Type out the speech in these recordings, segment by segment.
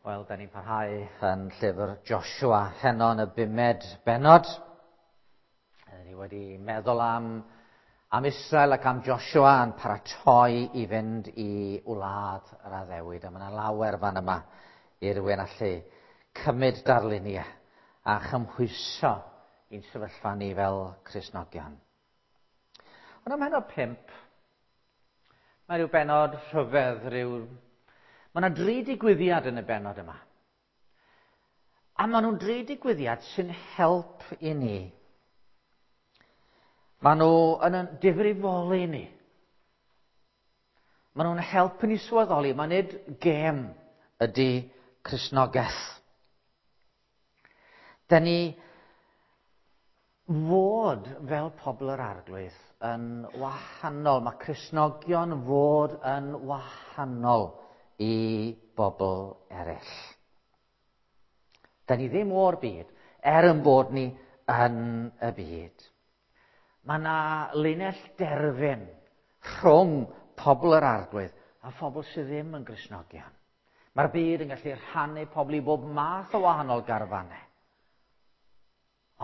Wel, da ni'n parhau yn llyfr Joshua heno yn y bumed bennod. Ni wedi meddwl am, am Israel ac am Joshua yn paratoi i fynd i wlad yr addewid. A mae yna lawer fan yma i rywun allu cymryd darluniau a chymhwyso i'n sefyllfa ni fel Cristnogion. Ond am heno 5, mae rhyw bennod rhyfedd, rhyw... Mae yna dri digwyddiad yn y bennod yma. A maen nhw'n dri digwyddiad sy'n help i ni. Maen nhw yn difrifoli ni. Maen nhw'n help i ni sylweddoli, mae nid gêm ydy Cristnogaeth. Da ni fod fel pobl yr Arglwydd yn wahanol. Mae Cristnogion fod yn wahanol i bobl eraill. Da ni ddim o'r byd, er yn bod ni yn y byd. Mae yna linell derfyn rhwng pobl yr Arglwydd a phobl sydd ddim yn Gristnogion. Mae'r byd yn gallu rhannu pobl i bob math o wahanol garfannau.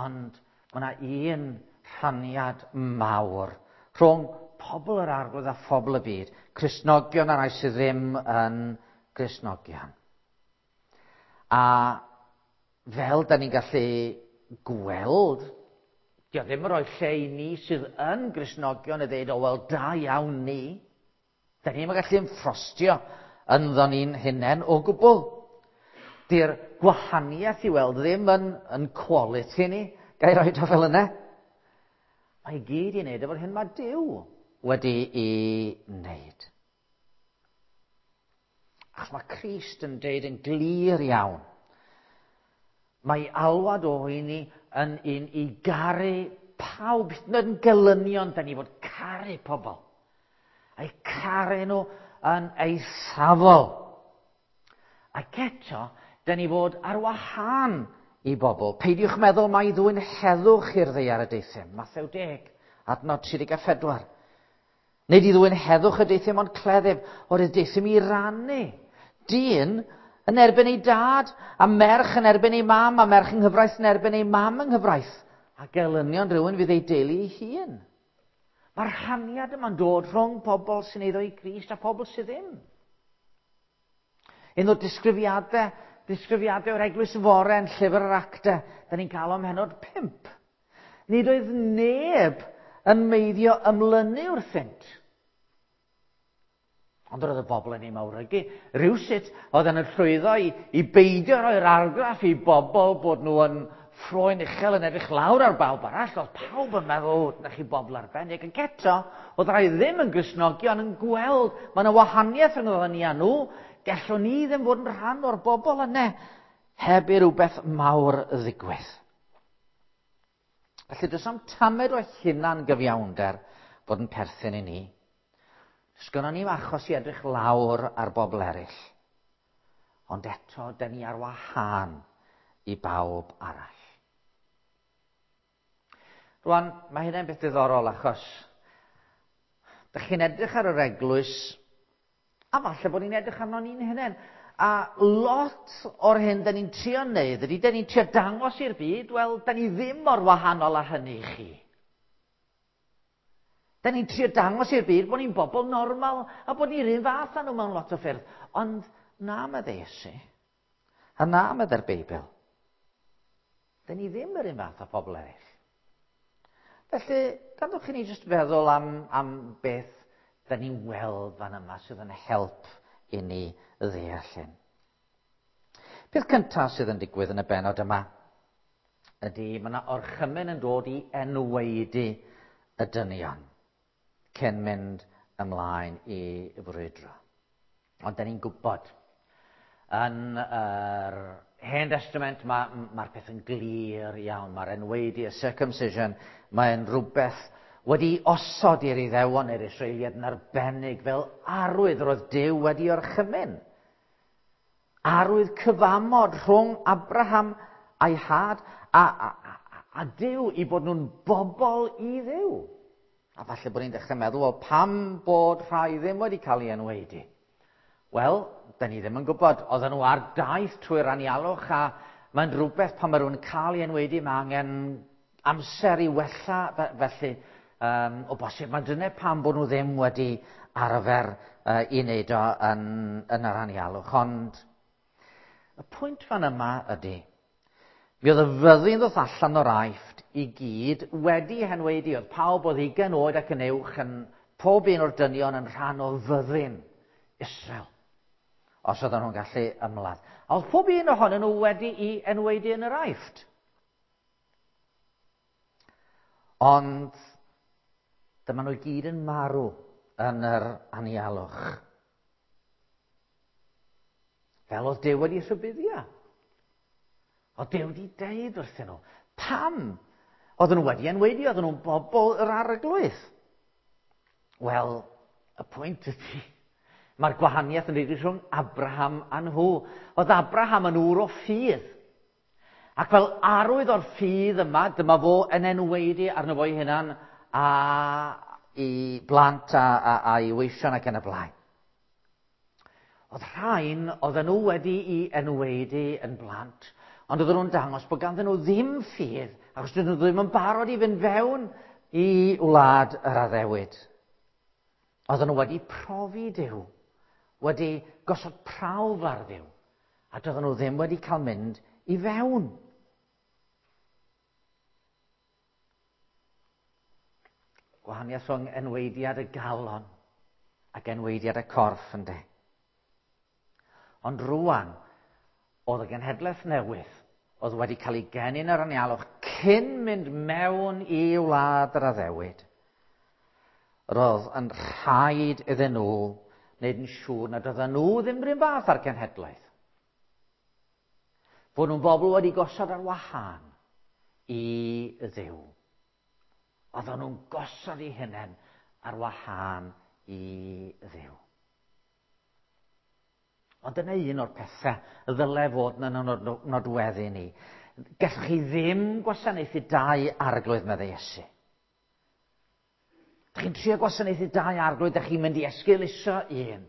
Ond mae yna un rhaniad mawr rhwng pobl yr Arglwydd a phobl y byd, Cristnogion a rai sydd ddim yn Gristnogion. A fel da ni'n gallu gweld, dio ddim yn rhoi lle i ni sydd yn Gristnogion i ddeud, o wel, da iawn ni. Da ni'n gallu ymffrostio ynddo ni'n hunain o gwbl. Di'r gwahaniaeth i weld ddim yn, yn quality ni, ga i roed o fel yna. Mae i gyd i wneud efo'r hyn mae Duw wedi i wneud. Achos mae Crist yn deud yn glir iawn. Mae alwad o i ni yn un i garu pawb, hyd yn oed yn gelynion, da ni fod caru pobl. A'u caru nhw yn eithafol. Ac eto, da ni fod ar wahân i bobl. Peidiwch meddwl mai ddwyn heddwch i'r ddaear y deuthum. Mathew 10, adnod 34. Nid i ddwyn heddwch y deuthum ond cleddyf, oherwydd deuthum i rannu. Dyn yn erbyn ei dad, a merch yn erbyn ei mam, a merch yng nghyfraith yn erbyn ei mam yng nghyfraith. A gelynion rhywun fydd ei deulu ei hun. Mae'r rhaniad yma'n dod rhwng pobl sy'n eiddo i Grist a pobl sydd ddim. Un o'r disgrifiadau, disgrifiadau o'r eglwys fore yn llyfr yr actau, da ni'n cael o mhenod 5. Nid oedd neb yn meiddio ymlynu wrthynt. Ond roedd y bobl yn ei mawrygu. Rhywsut oedd yn llwyddo i, i beidio roi'r argraff i bobl bod nhw yn ffroen uchel yn edrych lawr ar bawb arall. Oedd pawb yn meddwl, na chi bobl arbennig. Ac eto, oedd rai ddim yn Gristnogion yn gweld, mae yna wahaniaeth rhwng ni a nhw. Gallwn ni ddim fod yn rhan o'r bobl yna heb i rywbeth mawr ddigwydd. Felly, does am tamed o hunan gyfiawnder bod yn perthyn i ni. Sgynnon ni'm achos i edrych lawr ar bobl eraill. Ond eto, da ni ar wahân i bawb arall. Rwan, mae hynny'n beth diddorol achos da chi'n edrych ar yr eglwys, a falle bod ni'n edrych arno ni'n hunain. A lot o'r hyn da ni'n trio wneud ydy, da ni'n trio dangos i'r byd, wel, da ni ddim mor wahanol â hynny i chi. Da ni'n trio dangos i'r byd bod ni'n bobl normal a bod ni'r un fath â nhw mewn lot o ffyrdd. Ond na, medde Iesu. A na, medde'r Beibl. Da ni ddim yr un fath â pobl eraill. Felly, gadwch i ni jyst feddwl am, am beth da ni'n weld fan yma sydd yn help i ni ddeall hyn. Peth cyntaf sydd yn digwydd yn y bennod yma ydy mae yna orchymyn yn dod i enwaedu y dynion cyn mynd ymlaen i frwydro. Ond da ni'n gwybod, yn yr Hen Testament mae'r ma peth yn glir iawn. Mae'r enwaedu, y circumcision, mae'n rhywbeth wedi osod i'r Iddewon neu'r Israeliaid yn arbennig fel arwydd roedd Duw wedi orchymyn. Arwydd cyfamod rhwng Abraham a'i had a, a, a Duw i bod nhw'n bobl i Dduw. A falle bod ni'n dechrau meddwl, wel, pam bod rhai ddim wedi cael ei enwaedu? Wel, da ni ddim yn gwybod. Oedden nhw ar daith trwy'r anialwch a mae'n rhywbeth pan mae rhywun yn cael ei enwedu, mae angen amser i wella, felly o bosib mae dyna pam bod nhw ddim wedi arfer i wneud o yn yr anialwch. Ond y pwynt fan yma ydy, mi oedd y fyddin ddoth allan o'r Aifft i gyd wedi henwedu. Oedd pawb oedd 20 oed ac yn uwch yn pob un o'r dynion yn rhan o fyddin Israel, os oedden nhw'n gallu ymladd. A oedd pob un ohonyn nhw wedi'i enwedu yn yr Aifft. Ond dyma nhw i gyd yn marw yn yr anialwch. Fel oedd Duw wedi rhybuddio. Oedd Duw wedi deud wrthyn nhw. Pam? Oedden nhw wedi enwedu, oedden nhw'n bobl yr arglwydd. Wel, y pwynt ydy, mae'r gwahaniaeth yn rhaid rhwng Abraham a nhw. Oedd Abraham yn ŵr o ffydd. Ac fel arwydd o'r ffydd yma, dyma fo yn enwedu arno fo'i hunan a i blant a'i weision ac yn y blaen. Oedd rhain, oedden nhw wedi'i enwedu yn blant, ond oedden nhw'n dangos bod ganddyn nhw ddim ffydd, achos dydyn nhw ddim yn barod i fynd fewn i wlad yr addewid. Oedden nhw wedi profi Duw, wedi gosod prawf ar Dduw, a doedden nhw ddim wedi cael mynd i fewn. Gwahaniaeth rhwng enweidiad y galon ac enweidiad y corff, ynddo. Ond rwan, oedd y genhedlaeth newydd oedd wedi cael ei geni yn yr anialwch cyn mynd mewn i wlad yr addewid. Roedd yn rhaid iddyn nhw wneud yn siŵr nad oedden nhw ddim rhywun fath ar genhedlaeth. Bod nhw'n bobl wedi gosod ar wahân i Dduw. Oedden nhw'n gosod eu hunain ar wahân i Dduw. Ond dyna un o'r pethau ddyle fod yn nodweddu ni. Gallwch chi ddim gwasanaethu dau arglwydd, meddai Iesu. Dych chi'n trio gwasanaethu dau arglwydd, dych chi'n mynd i esgeuluso un.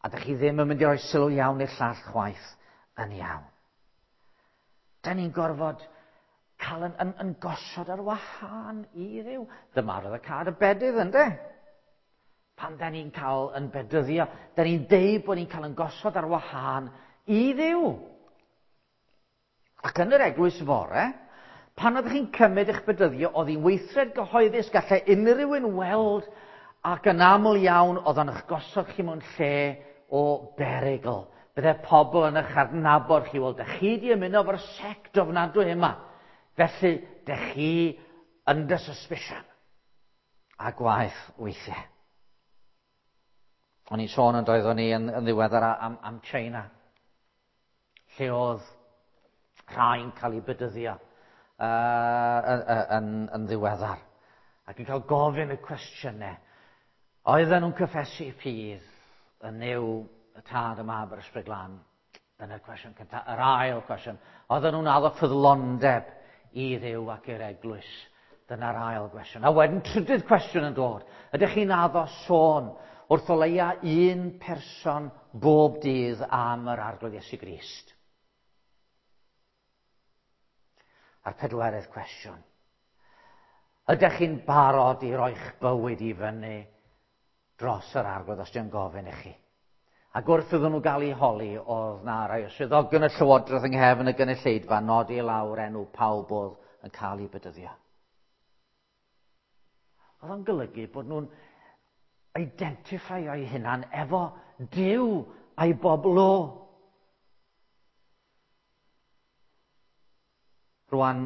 A dych chi ddim yn mynd i roi sylw iawn i'r llall chwaith yn iawn. Da ni'n gorfod cael yn gosod ar wahân i Dduw. Dyma roedd y cad y bedydd, ynddo? Pan da ni'n cael yn bedyddio, da ni'n deud bod ni'n cael yn gosod ar wahân i Dduw. Ac yn yr eglwys fore, pan oeddech chi'n cymryd eich bedyddio, oedd hi'n weithred gyhoeddus, gallai unrhyw un weld, ac yn aml iawn oedd o'n eich gosod chi mewn lle o berygl. Bydde pobl yn eich adnabod chi, wel, dych chi di ymuno efo'r sect ofnadwy yma. Felly, dych chi under suspicion. A gwaeth weithiau. O'n i'n sôn yn doeddwn ni yn ddiweddar am China, lle oedd rhai'n cael eu bedyddio yn ddiweddar. Ac yn cael gofyn y cwestiynau. Oedden nhw'n cyffesu ffydd yn Nuw, y Tad, y Mab a'r Ysbryd Glân? Dyna'r cwestiwn cyntaf. Yr ail cwestiwn. Oedden nhw'n addo ffyddlondeb i Dduw ac i'r eglwys? Dyna'r ail gwestiwn. A wedyn trydydd cwestiwn yn dod. Ydych chi'n addo sôn wrth o leia un person bob dydd am yr Arglwydd Iesu Grist? A'r pedwerydd cwestiwn. Ydych chi'n barod i roi'ch bywyd i fyny dros yr Arglwydd os di'n gofyn i chi? Ac wrth iddyn nhw gael eu holi, oedd na rai o swyddogion y llywodraeth yng nghefn y gynulleidfa nodi lawr enw pawb oedd yn cael eu bedyddio. Oedd o'n golygu bod nhw'n identify o'i hunan efo Duw a'i bobl o. Rwan,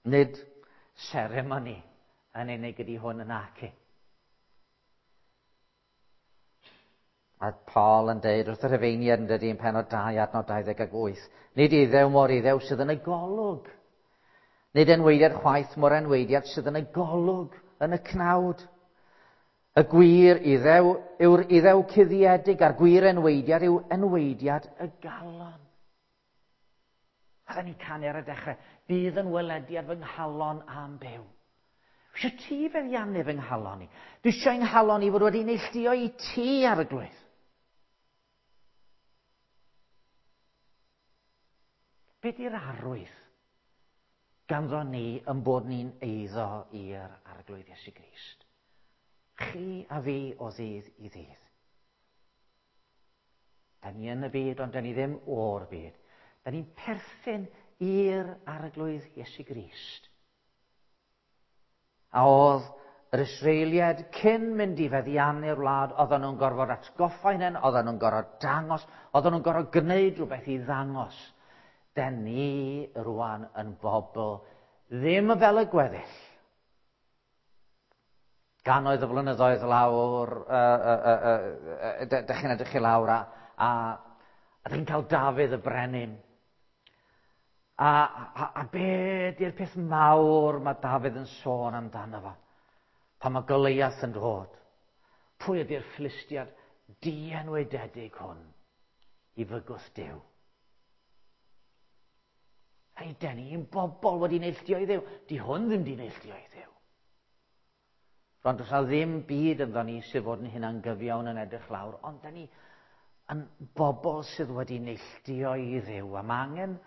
nid seremoni yn unig ydi hwn yn naci. Mae Paul yn deud wrth y Rhufeiniaid yn dydy yn pennod 2 adnod 28, nid iddew mor iddew sydd yn y golwg. Nid enweidiad chwaith mor enweidiad sydd yn y golwg, yn y cnawd. Y gwir iddew yw'r iddew cuddiedig a'r gwir enweidiad yw enweidiad y galon. A dda ni'n canu ar y dechrau, bydd yn welediad fy nghalon am byw. Dwi eisiau ti feddiannu fy nghalon i. Dwi eisiau nghalon i fod wedi neilltuo i ti, Arglwydd. Be di'r arwydd ganddo ni yn bod ni'n eiddo i'r Arglwydd Iesu Grist? Chi a fi o ddydd i ddydd. Da ni yn y byd, ond da ni ddim o'r byd. Da ni'n perthyn i'r Arglwydd Iesu Grist. A oedd yr Israeliaid cyn mynd i feddiannu'r wlad, oedden nhw'n gorfod atgoffa hunain, oedden nhw'n gorfod dangos, oedden nhw'n gorfod gwneud rhywbeth i ddangos. Den ni rwan yn bobl ddim fel y gweddill. Gannoedd o flynyddoedd lawr, dych chi'n edrych i lawr a, a, a dych chi'n cael Dafydd y brenin. A, a, a be di'r peth mawr mae Dafydd yn sôn amdano fo? Pan mae Goliath yn dod. Pwy ydy'r Philistiad dienwededig hwn i fygwth Duw? Hei, den ni'n bobl wedi neilltuo i Dduw. Di hwn ddim di neilltuo i Dduw. Rwan, does na ddim byd ynddo ni sydd fod yn hunan gyfiawn yn edrych lawr, ond da ni yn bobl sydd wedi neilltuo i Dduw, a mae angen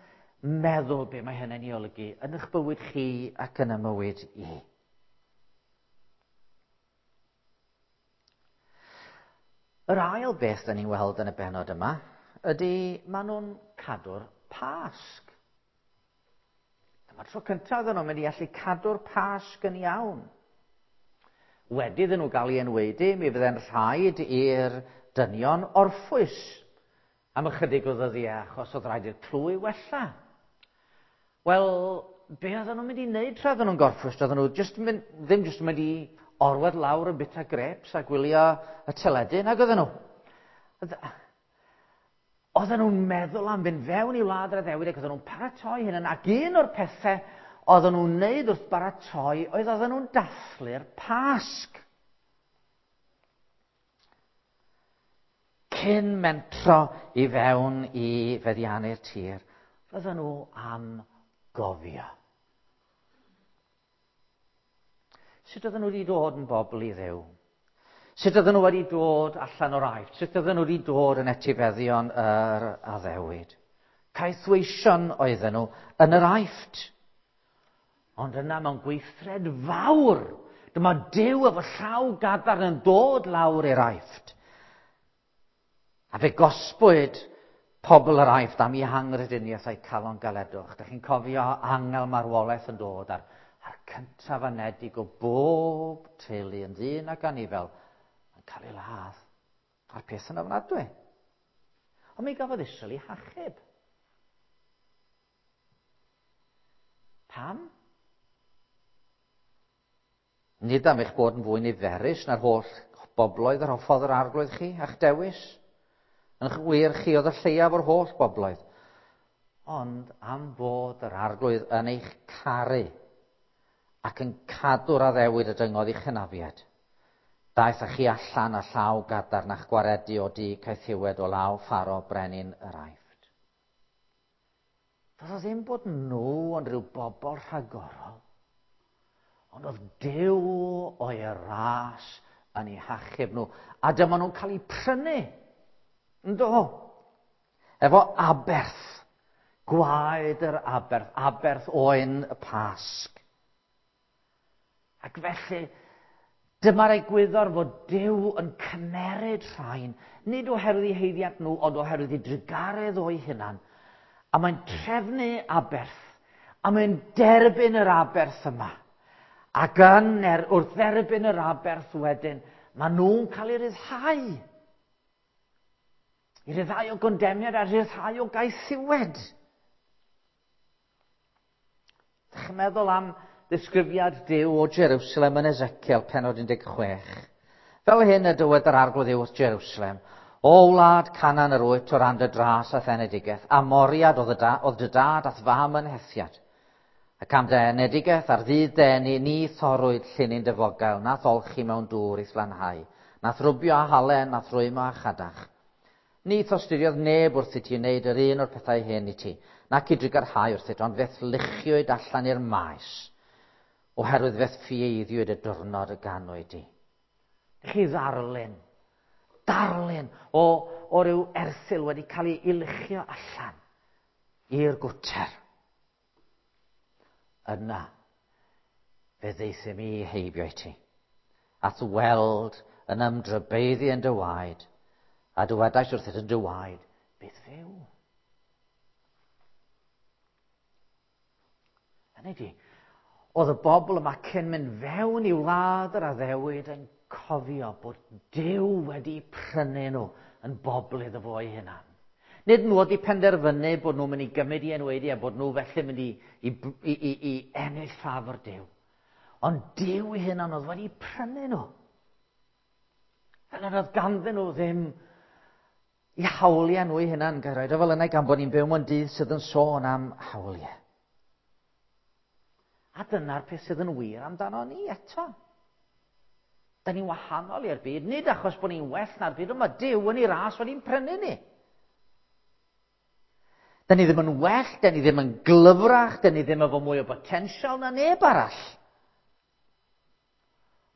meddwl be mae hynny'n ei olygu yn eich bywyd chi ac yn y mywyd i. Yr ail beth da ni'n weld yn y benod yma ydy maen nhw'n cadw'r Pasg. Dyma'r tro cyntaf iddyn nhw'n mynd i allu cadw'r Pasg yn iawn. Wedi iddyn nhw gael ei enwaedu, mi fydde'n rhaid i'r dynion orffwys am ychydig o ddyddiau achos oedd rhaid i'r clwy wella. Wel, be oedden nhw'n mynd i wneud tra oedden nhw'n gorffwys? Oedden nhw just mynd, ddim jyst yn mynd i orwedd lawr yn bita grapes a gwylio y teledu, nag oedden nhw. Oedden nhw'n meddwl am fynd fewn i wlad yr addewid ac oedden nhw'n paratoi hyn, ac un o'r pethau oedden nhw'n wneud wrth baratoi oedd oedden nhw'n dathlu'r Pasg. Cyn mentro i fewn i feddiannu'r tir, roedden nhw am gofio. Sut oedden nhw wedi dod yn bobl i Dduw? Sut oedden nhw wedi dod allan o'r Aifft? Sut oedden nhw wedi dod yn etifeddion yr addewid? Caethweision oedden nhw yn yr Aifft. Ond yna mewn gweithred fawr, dyma Duw efo llaw gadarn yn dod lawr i'r Aifft. A fe gosbwyd pobl yr Aifft am eu hangrediniaeth a'u calon galedwch. Dych chi'n cofio angel marwolaeth yn dod a'r, a'r cyntaf anedig o bob teulu yn ddyn ac anifel yn cael ei ladd. A'r peth yn ofnadwy. Ond mi gafodd Israel ei hachub. Pam? Nid am eich bod yn fwy niferus na'r holl bobloedd yr hoffodd yr arglwydd chi a'ch dewis. Yn wir chi oedd y lleiaf o'r holl bobloedd. Ond am fod yr arglwydd yn eich caru ac yn cadw'r addewid y dyngodd i'ch hynafiad. Daeth â chi allan â llaw gadarn a'ch gwaredu o du caethiwed o law Pharo brenin yr Aifft. Doedd o ddim bod nhw yn rhyw bobl rhagorol, ond oedd Duw o'i ras yn eu hachub nhw. A dyma nhw'n cael eu prynu. Ynddo? Efo aberth. Gwaed yr aberth. Aberth oen y Pasg. Ac felly, dyma'r egwyddor fod Duw yn cymeryd rhain, nid oherwydd eu haeddiant nhw, ond oherwydd ei drugaredd o'i hunan. A mae'n trefnu aberth, a mae'n derbyn yr aberth yma. Ac yn er, wrth dderbyn yr aberth wedyn, maen nhw'n cael eu rhyddhau. I ryddhau o gondemiad a rhyddhau o gaethiwed. Dych chi'n meddwl am ddisgrifiad Duw o Jerusalem yn Ezekiel penod 16. Fel hyn y dywed yr Arglwydd Dduw wrth Jerusalem, O wlad Canaan yr wyt o ran dy dras a'th enedigaeth, a Moriad oedd dy, oedd dy dad a'th fam yn Hethiad. Ac am dy enedigaeth ar ddydd dy eni, ni thorrwyd llinyn dy fogail, na'th olchi mewn dŵr i'th lanhau, na'th rwbio â halen, na'th rwymo â chadach. Ni thosturiodd neb wrth i ti wneud yr un o'r pethau hyn i ti, nac i drugarhau wrthyt, ond fe'th luchiwyd allan i'r maes, oherwydd fe'th ffieiddiwyd y diwrnod y ganwyd di. Chi ddarlun, darlun o, o ryw erthygl wedi cael ei luchio allan i'r gwter. Yna, fe ddeithum i heibio i ti, at weld yn ymdrybeiddi yn dy waed, a dywedais wrthyt yn dy waed, bydd fyw. Hynny ydi, oedd y bobl yma cyn mynd fewn i wlad yr addewid yn cofio bod Duw wedi prynu nhw yn bobl iddo fo ei hunan. Nid nhw wedi penderfynu bod nhw'n mynd i gymryd i enwaedu a bod nhw felly mynd i ennill ffafr Duw. Ond Duw ei hunan oedd wedi prynu nhw. Fel nad oedd ganddyn nhw ddim i hawliau nhw eu hunan, gair oed o fel yna gan bod ni'n byw mewn dydd sydd yn sôn am hawliau. A dyna'r peth sydd yn wir amdano ni eto. Da ni'n wahanol i'r byd, nid achos bod ni'n well na'r byd, ond mae Duw yn ei ras wedi'n prynu ni. Da ni ddim yn well, da ni ddim yn glyfrach, da ni ddim efo mwy o botensial na neb arall.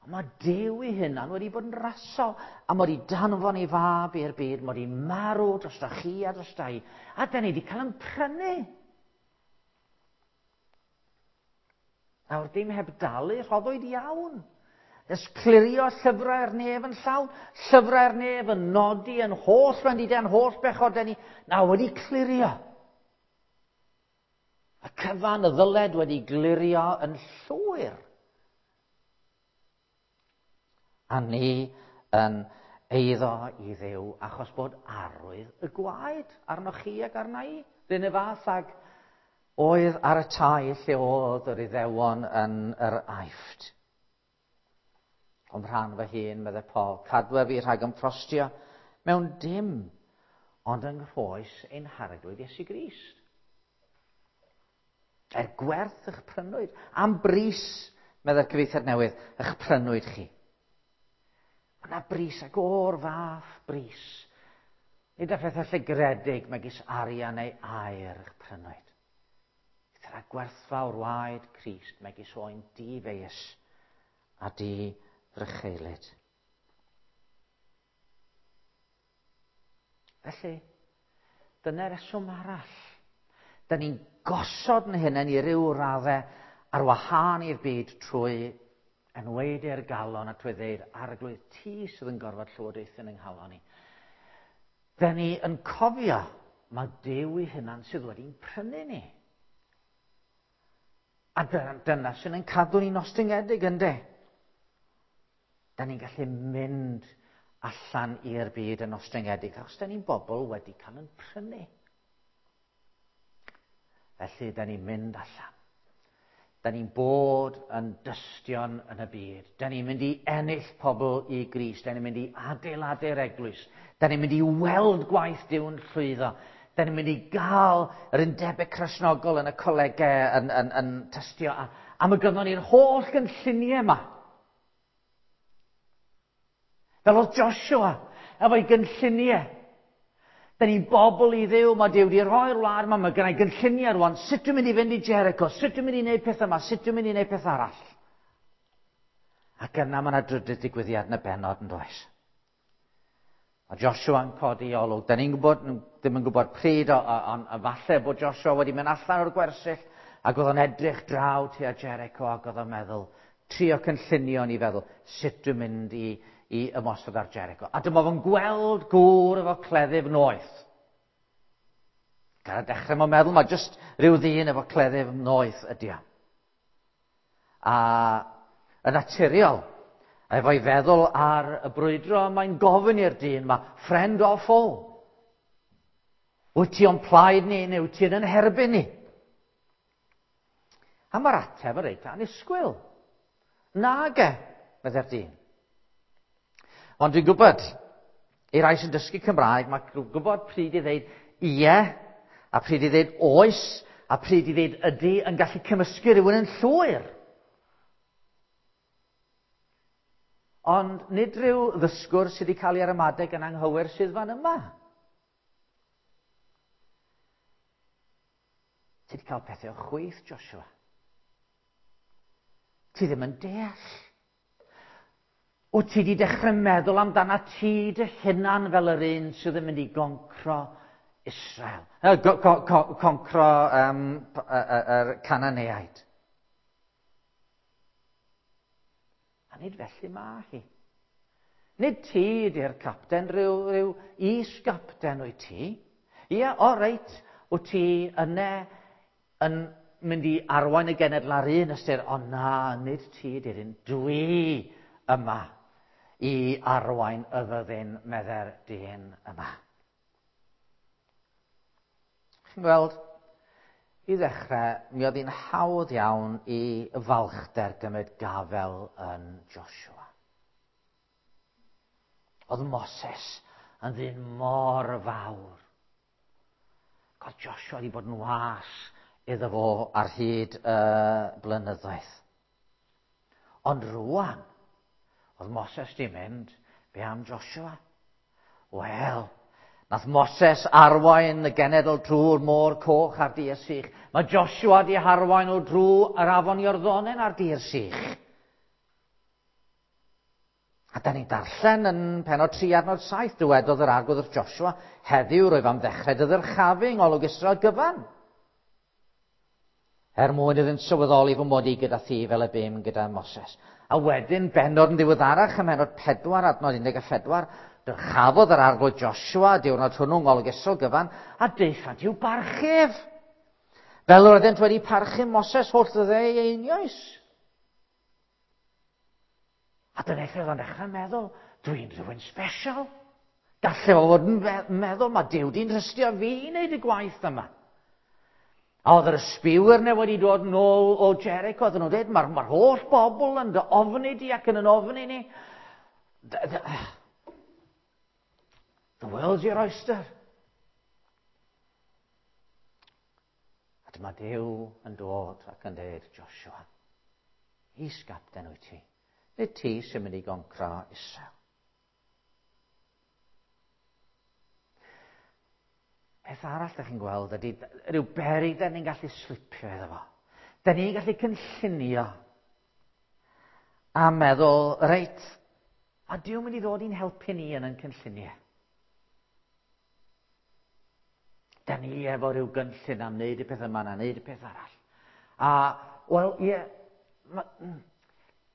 Ond mae Duw ei hunan wedi bod yn rasol, a mae wedi danfon ei fab i'r byd, mae wedi marw dros chi a dros i, a da ni wedi cael yn prynu. Nawr, dim heb dalu, rhoddwyd iawn. Nes clirio llyfrau'r nef yn llawn, llyfrau'r nef yn nodi yn holl wendidau, yn holl bechodau ni, nawr wedi clirio. Y cyfan y ddyled wedi glirio yn llwyr. A ni yn eiddo i Dduw achos bod arwydd y gwaed arnoch chi ac arna i. R'un y fath ag oedd ar y tai lle oedd yr Iddewon yn yr Aifft. O'm rhan fy hun, meddai Paul, cadwa fi rhag ymffrostio mewn dim ond yng nghroes ein Harglwydd Iesu Grist. Er gwerth eich prynwyd, am bris, meddai'r cyfieithiad newydd, eich prynwyd chi. Mae yna bris ac o'r fath bris. Nid â phethau llygredig megis arian neu aur eich prynwyd. Eithr â gwerthfawr waed Crist megis oen di-feius a di-drycheulyd. Felly, dyna reswm arall. Da ni'n gosod yn hunain i ryw raddau ar wahân i'r byd trwy enwaedu'r galon a trwy ddeud, Arglwydd, ti sydd yn gorfod llywodraethu yn yng nghalon i. Da ni yn cofio mae Duw ei hunan sydd wedi'n prynu ni. A dyna sy'n ein cadw ni'n ostyngedig, ynde? Da ni'n gallu mynd allan i'r byd yn ostyngedig, achos da ni'n bobl wedi cael yn prynu. Felly, da ni'n mynd allan. Da ni'n bod yn dystion yn y byd. Da ni'n mynd i ennill pobl i Grist. Da ni'n mynd i adeiladu'r eglwys. Da ni'n mynd i weld gwaith Duw'n llwyddo. Da ni'n mynd i gael yr undebau Cristnogol yn y colegau yn tystio am y gynnon ni'r holl gynlluniau yma. Fel oedd Joshua efo'i gynlluniau. Da ni'n bobl i Dduw, mae Duw wedi rhoi'r wlad yma, mae gennai gynlluniau rwan, sut dwi'n mynd i fynd i Jericho, sut dwi'n mynd i wneud peth yma, sut dwi'n mynd i wneud peth arall. Ac yna mae yna drydydd digwyddiad yn y bennod yn does. Mae Joshua yn codi olwg. Da ni'n gwybod, ddim yn gwybod pryd, ond falle bod Joshua wedi mynd allan o'r gwersyll ac oedd o'n edrych draw tua Jericho ac oedd o'n meddwl, trio cynllunio ni feddwl, sut dwi'n mynd i ymosod ar Jericho. A dyma fo'n gweld gŵr efo cleddyf noeth. Gan y dechrau mae'n meddwl, mae jyst rhyw ddyn efo cleddyf noeth ydi o. A yn naturiol, efo'i feddwl ar y brwydro, mae'n gofyn i'r dyn, mae friend or foe? Wyt ti o'n plaid ni neu wyt ti yn herbyn ni? A mae'r ateb yn reit annisgwyl. Nage, meddai'r dyn. Ond dwi'n gwybod, i rai sy'n dysgu Cymraeg, mae'n gwybod pryd i ddeud ie, a pryd i ddeud oes, a pryd i ddeud ydy, yn gallu cymysgu rhywun yn llwyr. Ond nid rhyw ddysgwr sydd wedi cael ei ramadeg yn anghywir sydd fan yma. Ti wedi cael pethau o chwith, Joshua. Ti ddim yn deall. Wyt ti wedi dechrau meddwl amdana ti dy hunan fel yr un sydd yn mynd i goncro Israel, concro yr Cananeaid. A nid felly mae hi. Nid ti ydy'r capten, rhyw is-gapten wyt ti. Ie, o reit, wyt ti yne yn mynd i arwain y genedl ar un ystyr, ond na, nid ti ydy'r un, dwi yma i arwain y fyddin, medde'r dyn yma. Chi'n gweld, i ddechrau, mi oedd hi'n hawdd iawn i falchder gymryd gafel yn Joshua. Oedd Moses yn ddyn mor fawr. Oedd Joshua wedi bod yn was iddo fo ar hyd y blynyddoedd. Ond rwan, oedd Moses di mynd, be am Joshua? Wel, nath Moses arwain y genedl drwy'r môr coch ar dir sych. Mae Joshua di harwain o drwy yr afon Iorddonen ar dir sych. A da ni'n darllen yn penod 3 adnod 7, dywedodd yr arglwydd wrth Joshua, heddiw rwyf am ddechrau dy ddyrchafu yng ngolwg Israel gyfan. Er mwyn iddynt sylweddoli fy mod i gyda thi fel y bum gyda Moses. A wedyn, bennod yn ddiweddarach, ym mhennod 4 adnod 14, dyrchafodd yr arglwydd Joshua diwrnod hwnnw yng ngolwg Israel gyfan, a daethant i'w barchif. Fel yr oeddent wedi parchu Moses holl ddyddiau ei einioes. A dyna lle oedd o'n dechrau meddwl, dwi'n rhywun special. Gallai fo fod yn meddwl, mae Duw di'n trystio fi i wneud y gwaith yma. A oedd yr ysbiwyr yna wedi dod nôl o Jericho, oedden nhw'n dweud, mae'r holl bobl yn dy ofni di ac yn yn ofni ni. The world's your oyster. A dyma Duw yn dod ac yn dweud, Joshua, is-gapten wyt ti. Nid ti sy'n mynd i goncro Israel. Peth arall da chi'n gweld ydy rhyw beryg da ni'n gallu slipio iddo fo. Da ni'n gallu cynllunio a meddwl, reit, a Duw mynd i ddod i'n helpu ni yn ein cynlluniau. Da ni efo rhyw gynllun am wneud y peth yma na wneud y peth arall. A, wel, ie,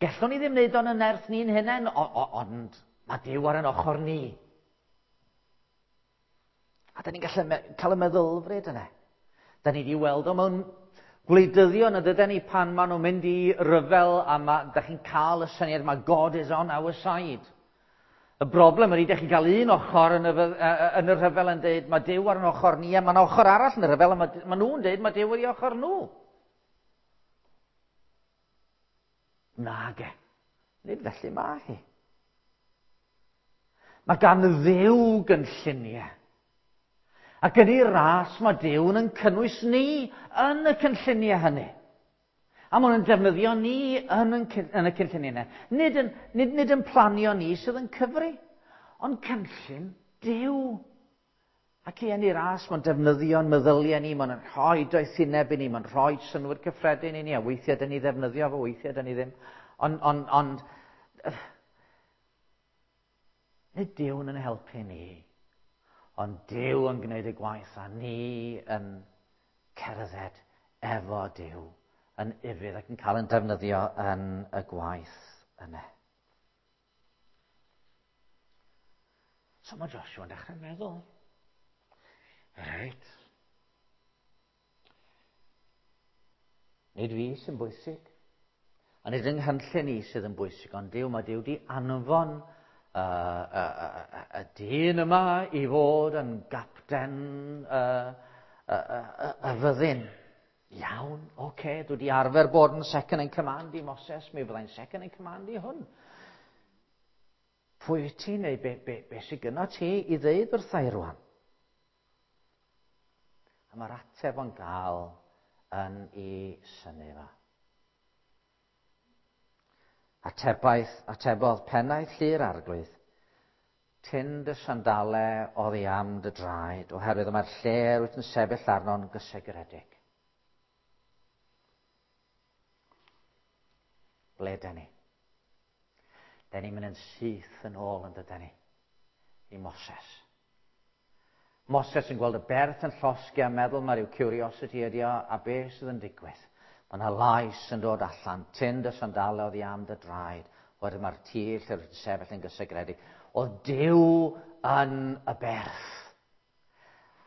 gallwn ni ddim wneud o'n y nerth ni'n hunain, ond mae Duw ar ein ochr ni. A da ni'n gallu cael y meddylfryd yna. Da ni wedi weld o mewn gwleidyddion y dydyn ni pan maen nhw'n mynd i ryfel a da chi'n cael y syniad mae God is on our side. Y broblem ydy, da chi'n cael un ochr yn y rhyfel yn dweud mae Duw ar ein ochr ni, a mae'n ochr arall yn y rhyfel a mae nhw'n dweud mae Duw ar ei ochr nhw. Nage. Nid felly mae hi. Mae gan Dduw gynlluniau. Ac yn ei ras mae Duw yn cynnwys ni yn y cynlluniau hynny. A maen nhw'n defnyddio ni yn y cynlluniau yna. Nid yn planio ni sydd yn cyfri, ond cynllun Duw. Ac i yn ei ras, mae'n defnyddio'n meddyliau ni, mae'n rhoi doethineb i ni, mae'n rhoi synnwyr cyffredin i ni, a weithiau dyn ni ddefnyddio fo, weithiau dyn ni ddim. Ond nid Duw yn helpu ni, ond Duw yn gwneud y gwaith a ni yn cerdded efo Duw yn ufudd ac yn cael yn defnyddio yn y gwaith yna. So mae Joshua yn dechrau meddwl, reit, nid fi sy'n bwysig, a nid yng nghynllun i sydd yn bwysig, ond Duw, mae Duw di anfon y dyn yma i fod yn gapten y fyddin. Iawn, oce, dwi wedi arfer bod yn second in command i Moses, mi fyddai'n second in command i hwn. Pwy wyt ti neu be sydd gynno ti i ddeud wrtha i rwan? A mae'r ateb o'n gael yn ei synnu fo. Atebodd pennaeth llu'r arglwydd, tyn dy sandale oddi am dy draed, oherwydd mae'r lle wyt yn sefyll arno'n gysegredig. Ble dyn ni? Dyn ni'n mynd yn syth yn ôl yn dydyn ni, i Moses. Moses yn gweld y berth yn llosgi a meddwl mae rhyw curiosity ydi o, a beth sydd yn digwydd? Mae yna lais yn dod allan, tyn dy sandalau oddi am dy draed, wedyn mae'r tir lle rwyt sefyll yn gysegredig. Oedd Duw yn y berth.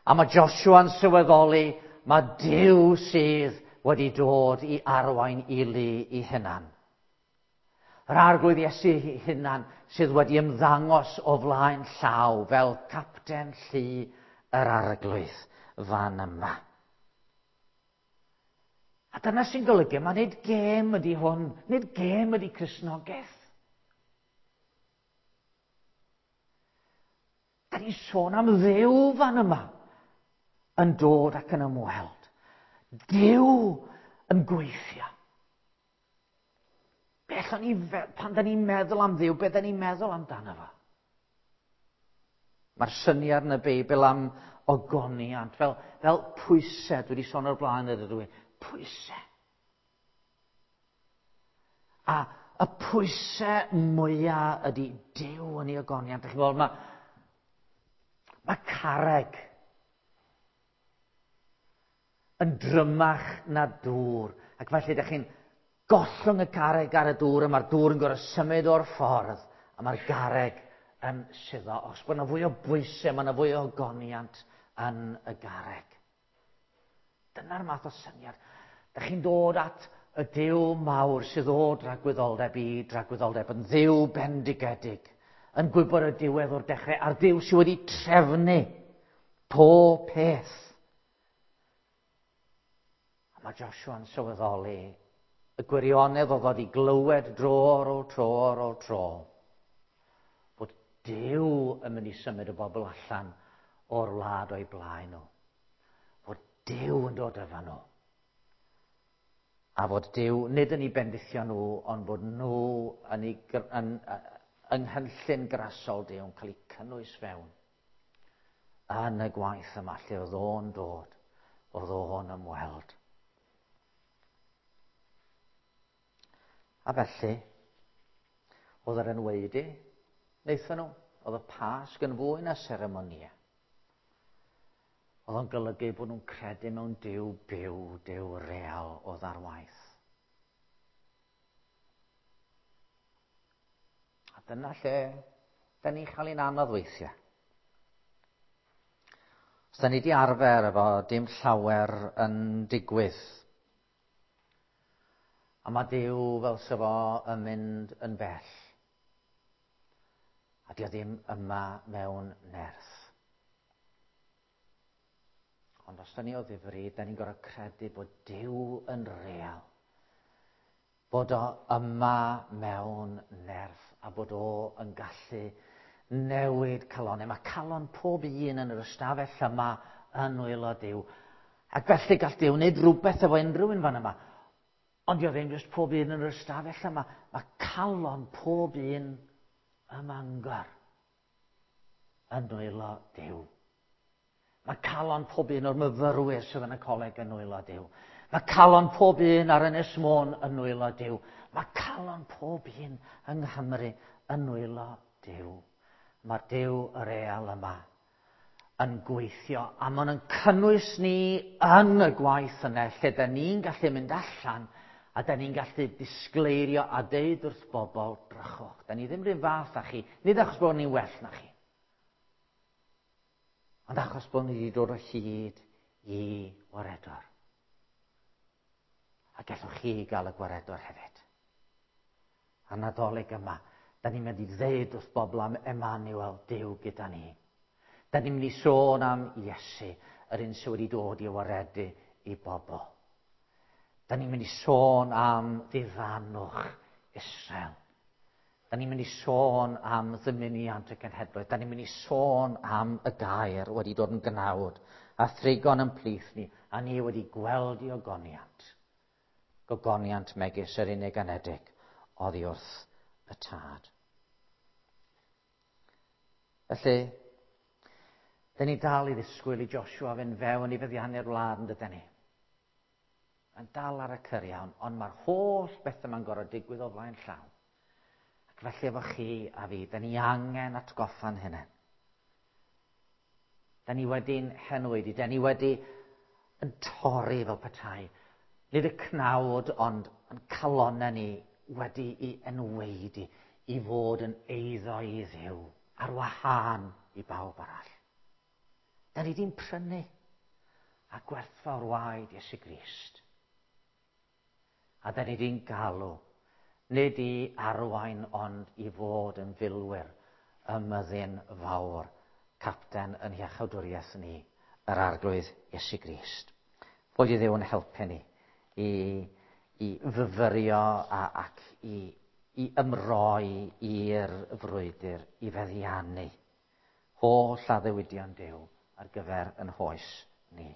A mae Joshua'n sylweddoli, mae Duw sydd wedi dod i arwain i lu i hunan. Yr Arglwydd Iesu hunan sydd wedi ymddangos o flaen llaw fel capten llu yr Arglwydd fan yma. A dyna sy'n golygu, mae nid gêm ydy hwn, nid gêm ydy Cristnogaeth. Da ni'n sôn am Dduw fan yma yn dod ac yn ymweld. Duw yn gweithio. Be allwn ni, pan da ni'n meddwl am Dduw, be da ni'n meddwl amdano fo? Mae'r syniad yn y Beibl am ogoniant, fel, fel pwysau, dwi wedi sôn o'r blaen yr ydw i, pwysau. A y pwysau mwyaf ydy Duw yn ei ogoniant. Dych chi'n gweld, mae, mae carreg yn drymach na dŵr. Ac felly, ydych chi'n gollwng y garreg ar y dŵr, a mae'r dŵr yn gorfod symud o'r ffordd, a mae'r garreg yn suddo. Os bod yna fwy o bwysau, mae yna fwy o ogoniant yn y garreg. Dyna'r math o syniad. Dych chi'n dod at y Duw mawr sydd o dragwyddoldeb i dragwyddoldeb, yn Dduw bendigedig, yn gwybod y diwedd o'r dechrau, a'r Duw sydd wedi trefnu pob peth. A mae Joshua'n sylweddoli y gwirionedd o ddod i glywed dro ar ôl tro ar ôl tro bod Duw yn mynd i symud y bobl allan o'r wlad o'i blaen nhw. Fod Duw yn dod efo nhw. A fod Duw nid yn ei bendithio nhw, ond bod nhw yn, ei, yn, yng nghynllun grasol Duw yn cael eu cynnwys fewn yn y gwaith yma lle oedd o'n dod, oedd o'n ymweld. A felly, oedd yr enweidi, wnaethon nhw, oedd y Pasg yn fwy na seremonia. Oedd o'n golygu bod nhw'n credu mewn Duw byw, Duw real oedd ar waith. A dyna lle da ni'n cael ein anodd weithiau. Os da ni wedi arfer efo dim llawer yn digwydd, A mae Duw fel se fo yn mynd yn bell. A dio ddim yma mewn nerth. Ond os da ni o ddifri, da ni'n gorfod credu bod Duw yn real. Bod o yma mewn nerth a bod o yn gallu newid calonau. Mae calon pob un yn yr ystafell yma yn nwylo Duw. Ac felly gall Duw wneud rhywbeth efo unrhyw un fan yma. Ond dio ddim jyst pob un yn yr ystafell yma. Mae calon pob un ym Mangor yn nwylo Duw. Mae calon pob un o'r myfyrwyr sydd yn y coleg yn nwylo Duw. Mae calon pob un ar Ynys Môn yn nwylo Duw. Mae calon pob un yng Nghymru yn nwylo Duw. Mae'r Duw y real yma yn gweithio, a maen nhw'n cynnwys ni yn y gwaith yna, lle da ni'n gallu mynd allan a da ni'n gallu disgleirio a deud wrth bobl, drychwch, da ni ddim rhywun fath â chi, nid achos bod ni'n well na chi, ond achos bod ni wedi dod o hyd i waredwr. A gallwch chi gael y gwaredwr hefyd. A Nadolig yma, da ni'n mynd i ddeud wrth bobl am Emmanuel, Duw gyda ni. Da ni'n mynd i sôn am Iesu, yr un sydd wedi dod i waredu i bobl. Da ni'n mynd i sôn am ddiddanwch Israel. Da ni'n mynd i sôn am ddymuniant y genhedloedd. Da ni'n mynd i sôn am y gair wedi dod yn gnawd a thrigon yn plith ni, a ni wedi gweld i ogoniant. Gogoniant megis yr unig anedig oddi wrth y tad. Felly, da ni dal i ddisgwyl i Joshua fynd fewn i feddiannu'r wlad yn dydyn ni. Mae'n dal ar y cyrion, ond mae'r holl beth yma'n gorfod digwydd o flaen llaw. Ac felly efo chi a fi, da ni angen atgoffa'n hynny. Da ni wedi'n henwyd, da ni wedi yn torri fel petai. Nid y cnawd, ond yn calonnau ni wedi i enweidi i fod yn eiddo i Dduw ar wahân i bawb arall. Da ni di'n prynu a gwerthfawr waed Iesu Grist. A da ni di'n galw, nid i arwain ond i fod yn filwyr ym myddin fawr, capten yn hiachawdwriaeth ni, yr Arglwydd Iesu Grist. Fod i Dduw yn helpu ni i, i fyfyrio a, ac i, i ymroi i'r frwydr, i feddiannu holl addewidion Duw ar gyfer yn hoes ni.